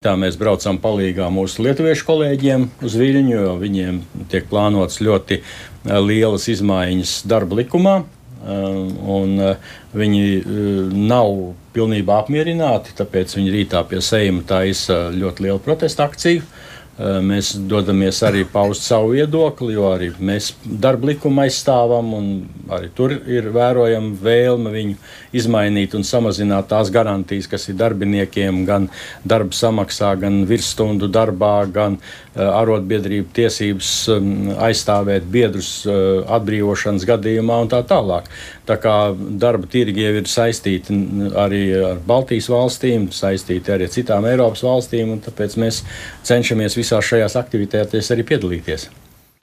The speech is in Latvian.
Tā mēs braucam palīgā mūsu lietuviešu kolēģiem uz Viļņu, jo viņiem tiek plānotas ļoti lielas izmaiņas darba likumā. Viņi nav pilnībā apmierināti, tāpēc viņi rītā pie Seima taisa ļoti lielu protesta akciju. Mēs dodamies arī paust savu viedokli, jo arī mēs darba likumu aizstāvam, un arī tur ir vērojama vēlme viņu izmainīt un samazināt tās garantijas, kas ir darbiniekiem, gan darba samaksā, gan virsstundu darbā, gan arotbiedrību tiesības aizstāvēt biedrus atbrīvošanas gadījumā un tā tālāk. Tā kā darba tirgi jau ir saistīti arī ar Baltijas valstīm, saistīti arī ar citām Eiropas valstīm, un tāpēc mēs cenšamies visās šajās aktivitātēs arī piedalīties.